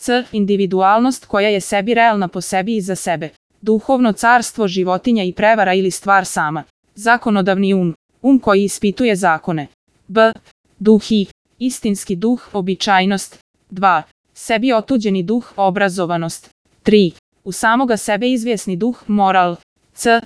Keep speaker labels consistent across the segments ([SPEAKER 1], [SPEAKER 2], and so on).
[SPEAKER 1] c. Individualnost koja je sebi realna po sebi i za sebe. Duhovno carstvo, životinja i prevara ili stvar sama. Zakonodavni um koji ispituje zakone. b. Duh i istinski duh, običajnost. 2. Sebi otuđeni duh, obrazovanost. 3. U samoga sebe izvjesni duh, moral. c.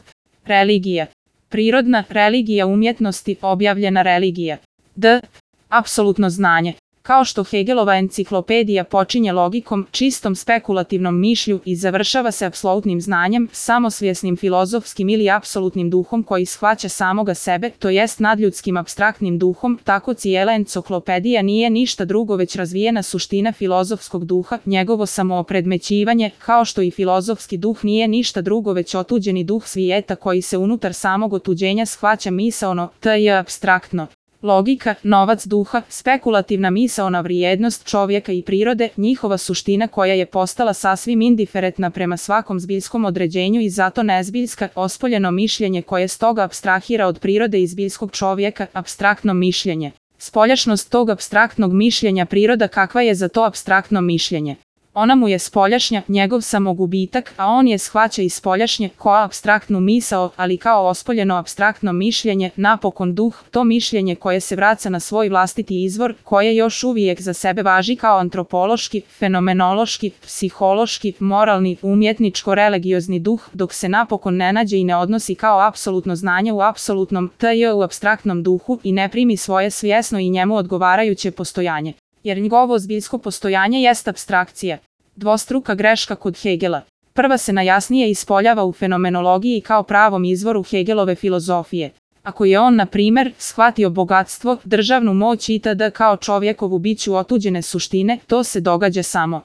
[SPEAKER 1] Religija. Prirodna religija umjetnosti, objavljena religija. d. Apsolutno znanje. Kao što Hegelova enciklopedija počinje logikom, čistom spekulativnom mišlju i završava se apsolutnim znanjem, samosvjesnim filozofskim ili apsolutnim duhom koji shvaća samoga sebe, to jest nadljudskim apstraktnim duhom, tako cijela enciklopedija nije ništa drugo već razvijena suština filozofskog duha, njegovo samoopredmećivanje, kao što i filozofski duh nije ništa drugo već otuđeni duh svijeta koji se unutar samog otuđenja shvaća misaono, t.j. apstraktno. Logika, novac duha, spekulativna misaona vrijednost čovjeka i prirode, njihova suština koja je postala sasvim indiferentna prema svakom zbiljskom određenju i zato nezbiljska, ospoljeno mišljenje koje stoga apstrahira od prirode i zbiljskog čovjeka, apstraktno mišljenje. Spoljašnost tog apstraktnog mišljenja priroda kakva je za to apstraktno mišljenje. Ona mu je spoljašnja, njegov samogubitak, a on je shvaća i spoljašnje, kao apstraktnu misao, ali kao ospoljeno apstraktno mišljenje, napokon duh, to mišljenje koje se vraća na svoj vlastiti izvor, koje još uvijek za sebe važi kao antropološki, fenomenološki, psihološki, moralni, umjetničko-religiozni duh, dok se napokon ne nađe i ne odnosi kao apsolutno znanje u apsolutnom, t.j. u apstraktnom duhu i ne primi svoje svjesno i njemu odgovarajuće postojanje. Jer njegovo zbiljsko postojanje jest apstrakcija. Dvostruka greška kod Hegela. Prva se najjasnije ispoljava u fenomenologiji kao pravom izvoru Hegelove filozofije. Ako je on, na primjer, shvatio bogatstvo, državnu moć itd. kao čovjekovu biću otuđene suštine, to se događa samo